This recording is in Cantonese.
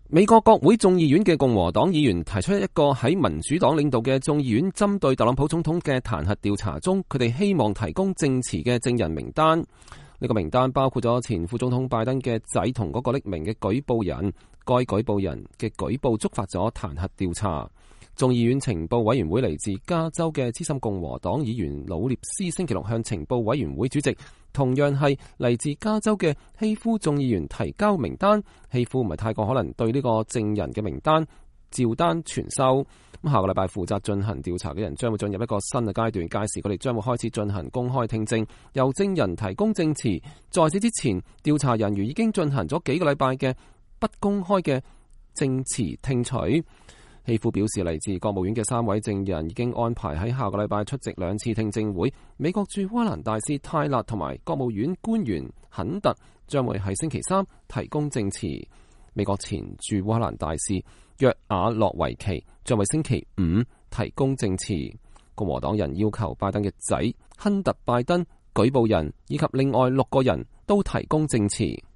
美國國會眾議院嘅共和黨議員提出一個喺民主黨領導嘅眾議院針對特朗普總統嘅彈劾調查中，佢哋希望提供證詞嘅證人名單。呢個名單包括咗前副總統拜登嘅仔同嗰個匿名嘅舉報人。該舉報人嘅舉報觸發咗彈劾調查。眾議院情報委員會嚟自加州嘅資深共和黨議員魯涅斯星期六向情報委員會主席，同樣係嚟自加州嘅希夫眾議員提交名單。希夫唔係太過可能對呢個證人嘅名單照單全收。咁下個禮拜負責進行調查嘅人將會進入一個新嘅階段，屆時佢哋將會開始進行公開聽證，由證人提供證詞。在此之前，調查人員已經進行咗幾個禮拜嘅不公開嘅證詞聽取。希夫表示，嚟自國務院嘅3位證人已經安排喺下個禮拜出席2次聽證會。美國駐烏克蘭大使泰勒同埋國務院官員肯特將會喺星期3提供證詞。美國前駐烏克蘭大使約瓦洛維奇將會星期5提供證詞。共和黨人要求拜登嘅仔亨特拜登、舉報人以及另外6個人都提供證詞。